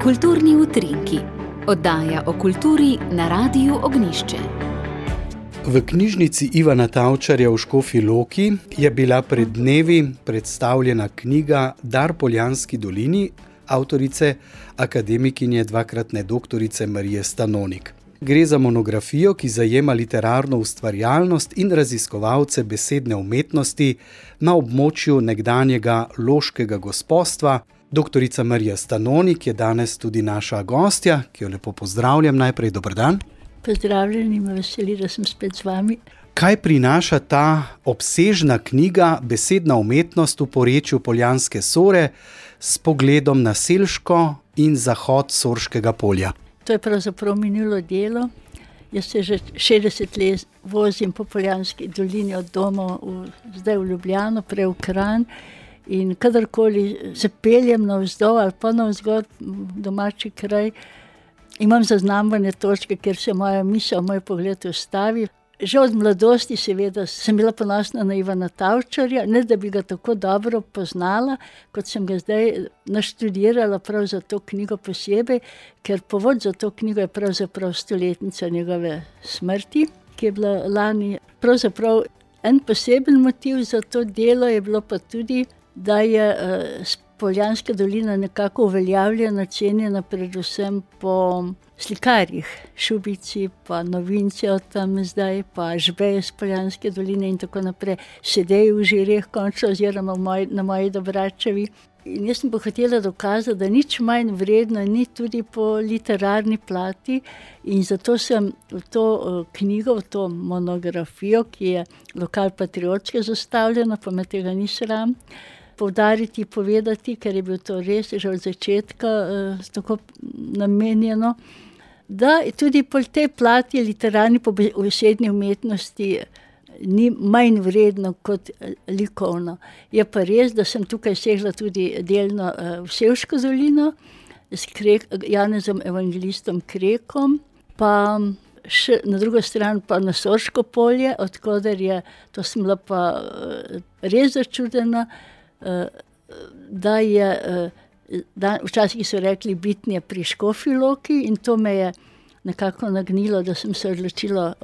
Kulturni utrinki, oddaja o kulturi na Radiu Ognjišče. V knjižnici Ivana Tavčarja v Škofji Loki je bila pred dnevi predstavljena knjiga Dar Poljanski dolini avtorice akademikinje dvakratne doktorice Marije Stanonik. Gre za monografijo, ki zajema literarno ustvarjalnost in raziskovalce besedne umetnosti na območju nekdanjega loškega gospostva. Doktorica Marija Stanonik je danes tudi naša gostja, ki jo lepo pozdravljam. Najprej dober dan. Pozdravljeni, me veseli, da sem spet z vami. Kaj prinaša ta obsežna knjiga Besedna umetnost v porečju Poljanske Sore s pogledom na Selško in zahod Sorškega polja? To je pravzaprav minulo delo. Jaz se že 60 let vozim po Poljanski dolini od doma zdaj v Ljubljano, prej v Kranj. In kadarkoli se peljem navzdol ali pa navzgor domači kraj, imam zaznamvane točke, kjer se moja misel, moj pogled ustavi. Že od mladosti seveda sem bila ponosna na Ivana Tavčarja, ne da bi ga tako dobro poznala, kot sem ga zdaj naštudirala prav za to knjigo posebej, ker povod za to knjigo je pravzaprav 100-letnica njegove smrti, ki je bila lani. Pravzaprav en poseben motiv za to delo je bilo pa tudi, da je Poljanska dolina nekako uveljavljena, cenjena predvsem po slikarjih, Šubici, pa Novinci od tam zdaj, pa Žbej iz Poljanske doline in tako naprej, Sedej v Žireh končno oziroma na moji Dobračevi. In jaz sem pa hotela dokazati, da nič manj vredno ni tudi po literarni plati, in zato sem v to knjigo, v to monografijo, ki je lokalpatriotsko zastavljena, pa me tega ni sram poudariti, povedati, ker je bil to res že od začetka tako namenjeno, da tudi po tej plati literarni po besedni umetnosti ni manj vredno kot likovno. Je pa res, da sem tukaj segla tudi delno v Selško dolino s Janezom Evangelistom Krekom, pa še na drugo stran pa na Sorško polje, odkoder je, to sem bila pa res začudena, da je, včasih so rekli bitnje pri Škofji Loki, in to me je nekako nagnilo, da sem se odločila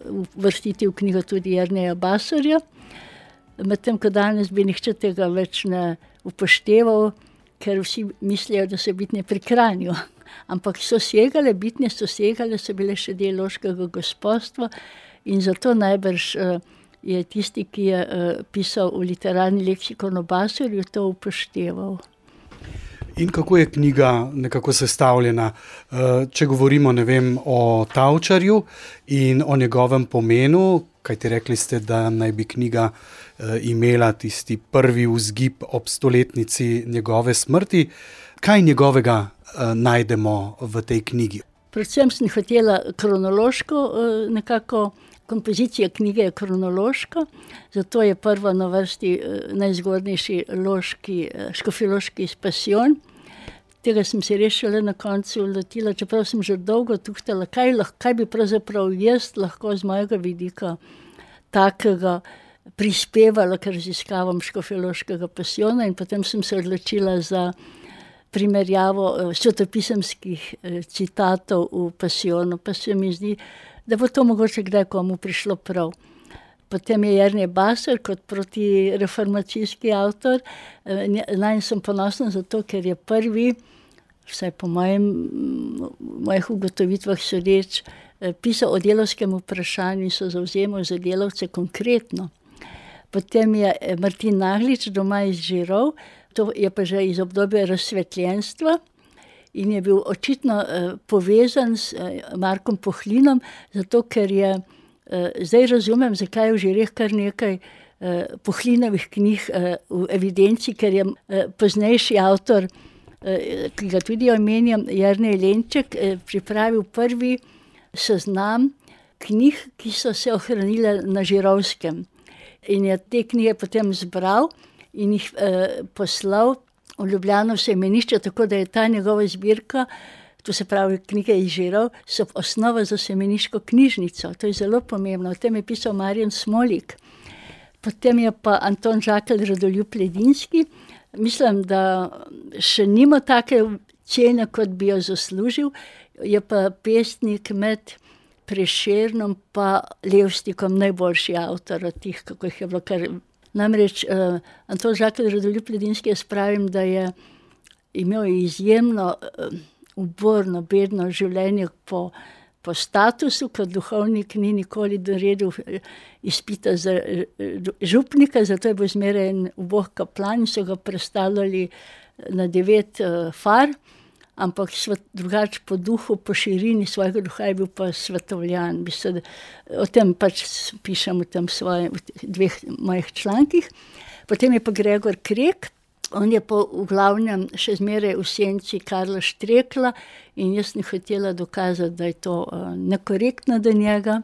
uvrstiti v knjigo tudi Jerneja Basorja. Medtem ko danes bi nihče tega več ne upošteval, ker vsi mislijo, da so bitnje pri Kranju. Ampak bitnje so segale, so bile še del loškega gospostva, in zato najbrž je tisti, ki je pisal v literarni leksikon o Basorju, to upošteval. In kako je knjiga nekako sestavljena? Če govorimo, o Tavčarju in o njegovem pomenu, kajti rekli ste, da naj bi knjiga imela tisti prvi vzgib ob 100-letnici njegove smrti. Kaj njegovega najdemo v tej knjigi? Predvsem sem hotela kronološko nekako. Kompozicija knjige je kronološka, zato je prva na vrsti najzgodnejši škofjeloški Pasijon. Tega sem se res šele na koncu lotila, čeprav sem že dolgo tuhtala, kaj bi pravzaprav jaz lahko z mojega vidika takega prispevala k raziskavam škofjeloškega Pasijona, in potem sem se odločila za primerjavo svetopisemskih citatov v Pasijonu, pa se mi zdi, da bo to mogoče kdaj komu prišlo prav. Potem je Jernej Basor kot protireformacijski avtor. Nanj sem ponosna zato, ker je prvi, vsaj po mojih ugotovitvah sodeč, pisal o delavskem vprašanju in se zavzemal za delavce konkretno. Potem je Martin Naglič, doma iz Žirov, to je pa že iz obdobja razsvetljenstva, in je bil očitno povezan s Markom Pohlinom, zato ker je, zdaj razumem, zakaj je v Žireh kar nekaj Pohlinovih knjig v evidenci, ker je poznejši avtor, ki ga tudi omenjam, Jernej Lenček, pripravil prvi seznam knjig, ki so se ohranile na Žirovskem. In je te knjige potem zbral in jih poslal v Ljubljano v semenišče, tako da je ta njegova zbirka, to se pravi knjige iz Žirov, so osnova za semeniško knjižnico. To je zelo pomembno. O tem je pisal Marjan Smolik. Potem je pa Anton Žakelj, rodoljub Ledinski, Mislim, da še nima take cene, kot bi jo zaslužil. Je pa pesnik med Prešernom pa Levstikom najboljši avtor od tih, kako jih je bilo kar. Namreč Anton Žakelj, rodoljub Ledinski, jaz pravim, da je imel izjemno uborno, bedno življenje po statusu, kot duhovnik ni nikoli doredil izpita za župnika, zato je bil zmeraj en ubog kaplan in so ga prestavljali na 9 far, ampak drugače po duhu, po širini svojega duha je bil pa svetovljan. O tem pač pišem v tem v 2 mojih člankih. Potem je pa Gregor Krek. On je pa v glavnem še zmeraj v senci Karla Štrekla in jaz sem hotela dokazati, da je to nekorektno do njega.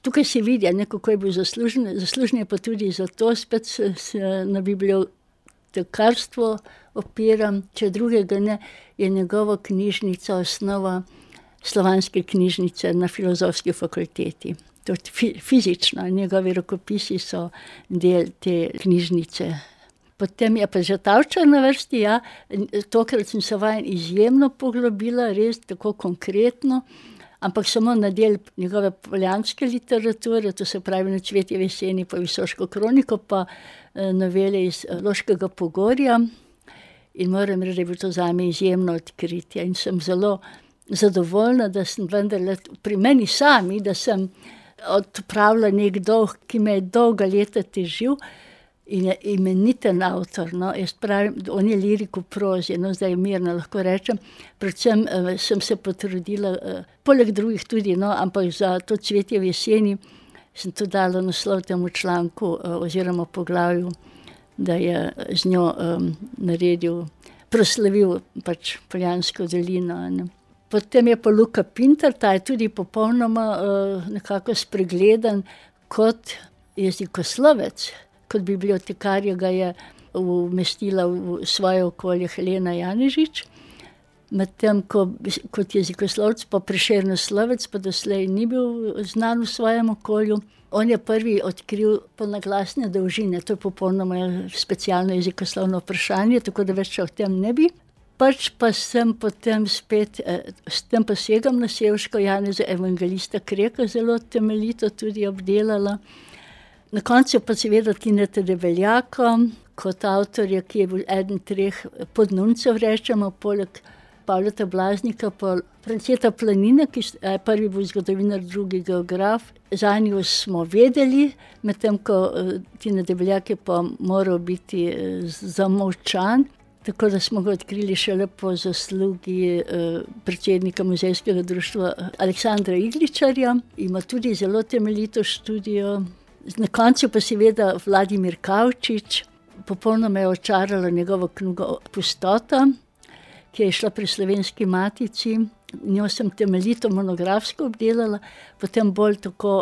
Tukaj se vidi, kako je bil zaslužen. Zaslužen je pa tudi zato, spet se na bibliotekarstvo opiram, če drugega ne, je njegova knjižnica osnova slovanske knjižnice na Filozofski fakulteti. To fizično, njegovi rokopisi so del te knjižnice. Potem je pa že Tavčar na vrsti, ja. Tokrat sem se vanj izjemno poglobila, res tako konkretno, ampak samo na del njegove poljanske literature, to se pravi Na cvetjevi jeseni pa Visoško kroniko, pa novele iz Loškega Pogorja. In moram reči, da je bilo to zame izjemno odkritje in sem zelo zadovoljna, da sem vendarle pri meni sami, da sem odpravila nek dolg, ki me je dolga leta težil. In je imeniten avtor, no, jaz pravim, on je lirik v prozi, no, zdaj mirno lahko rečem. Predvsem sem se potrudila, poleg drugih tudi, no, ampak za to Cvetje v jeseni sem to dala naslov temu članku oziroma poglavju, da je z njo naredil, proslavil pač Poljansko dolino. Ne. Potem je pa Luka Pintar, ta je tudi popolnoma nekako spregledan kot jezikoslovec. Kot bibliotekarja ga je umestila v svoje okolje Helena Janežič, medtem kot jezikoslovec pa Prešernoslovec pa doslej ni bil znan v svojem okolju. On je prvi odkril polnoglasne dolžine, to je popolnoma specialno jezikoslovno vprašanje, tako da več o tem ne bi. Pač pa sem potem spet, s tem pa segam na Sevško Janeza Evangelista Kreka zelo temeljito tudi obdelala. Na koncu pa seveda Tineta Debeljaka kot avtorja, ki je bil eden 3 podnuncev, rečemo, poleg Pavleta Blaznika, pa Franceta Planina, ki je prvi bil zgodovinar, drugi geograf. Zanjo smo vedeli, medtem ko Tina Debeljak je pa moral biti zamolčan, tako da smo ga odkrili šele po zaslugi predsednika Muzejskega društva Aleksandra Igličarja. Ima tudi zelo temeljito študijo. Na koncu pa seveda Vladimir Kavčič, popolnoma je očarala njegova knjiga Pustota, ki je šla pri Slovenski matici. Njo sem temeljito monografsko obdelala, potem bolj tako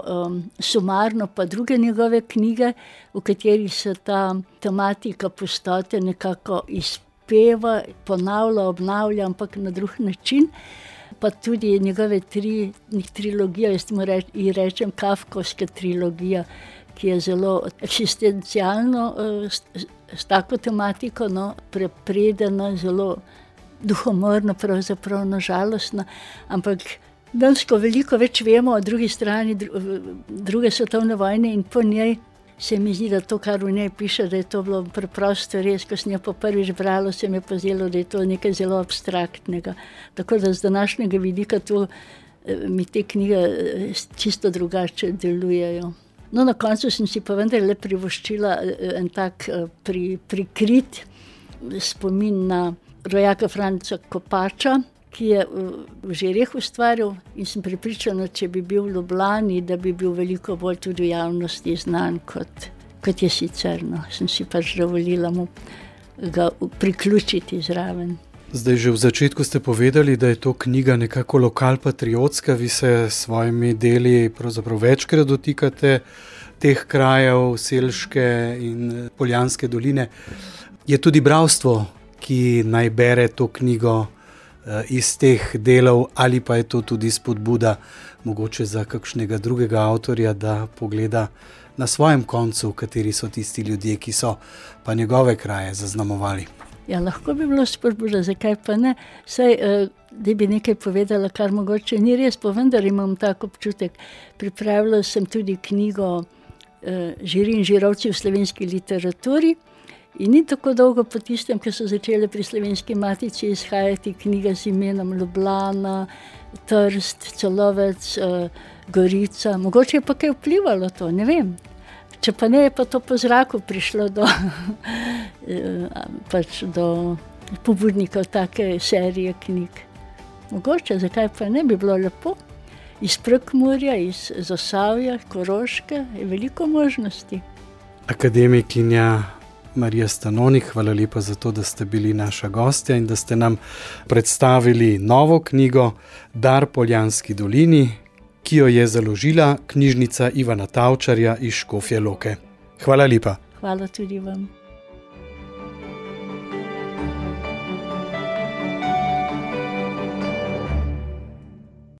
sumarno pa druge njegove knjige, v katerih se ta tematika pustote nekako izpeva, ponavlja, obnavlja, ampak na drug način. Pa tudi njegove trilogije, jaz mu rečem Kafkovska trilogija, ki je zelo eksistencialno s tako tematiko, no, prepredena, zelo duhomorna, pravzaprav nažalostna, ampak dansko veliko več vemo o drugi strani druge svetovne vojne in po njej se mi zdi, da to, kar v njej piše, da je to bilo preprosto res. Ko sem jo pa prvič brala, se mi je pa zdelo, da je to nekaj zelo abstraktnega. Tako da z današnjega vidika to mi te knjige čisto drugače delujejo. No, na koncu sem si pa vendarle privoščila en tak prikrit spomin na rojaka Franca Kopača, ki je v Žireh ustvarjal in sem prepričana, če bi bil v Ljubljani, da bi bil veliko bolj tudi v javnosti znan, kot je sicer. No. Sem si pač dovolila mu ga priključiti zraven. Zdaj že v začetku ste povedali, da je to knjiga nekako lokalpatriotska, vi se s svojimi deli pravzaprav večkrat dotikate teh krajev, Selške in Poljanske doline. Je tudi bralstvo, ki naj bere to knjigo iz teh delov, ali pa je to tudi spodbuda mogoče za kakšnega drugega avtorja, da pogleda na svojem koncu, kateri so tisti ljudje, ki so pa njegove kraje zaznamovali. Ja, lahko bi bilo spodbuda, zakaj pa ne. Saj, da bi nekaj povedala, kar mogoče ni res, pa vendar imam tak občutek. Pripravila sem tudi knjigo Žiri in žirovci v slovenski literaturi in ni tako dolgo po tistem, ko so začele pri Slovenski matici izhajati knjiga z imenom Ljubljana, Trst, Celovec, Gorica. Mogoče je pa kaj vplivalo to, ne vem. Če pa ne, je pa to po zraku prišlo do pobudnikov take serije knjig. Mogoče, zakaj pa ne, bi bilo lepo. Iz Prekmurja, iz Zasavja, Koroške je veliko možnosti. Akademikinja Marija Stanonik, hvala lepa za to, da ste bili naša gostja in da ste nam predstavili novo knjigo Dar Poljanski dolini, ki jo je založila knjižnica Ivana Tavčarja iz Škofje Loke. Hvala lepa. Hvala tudi vam.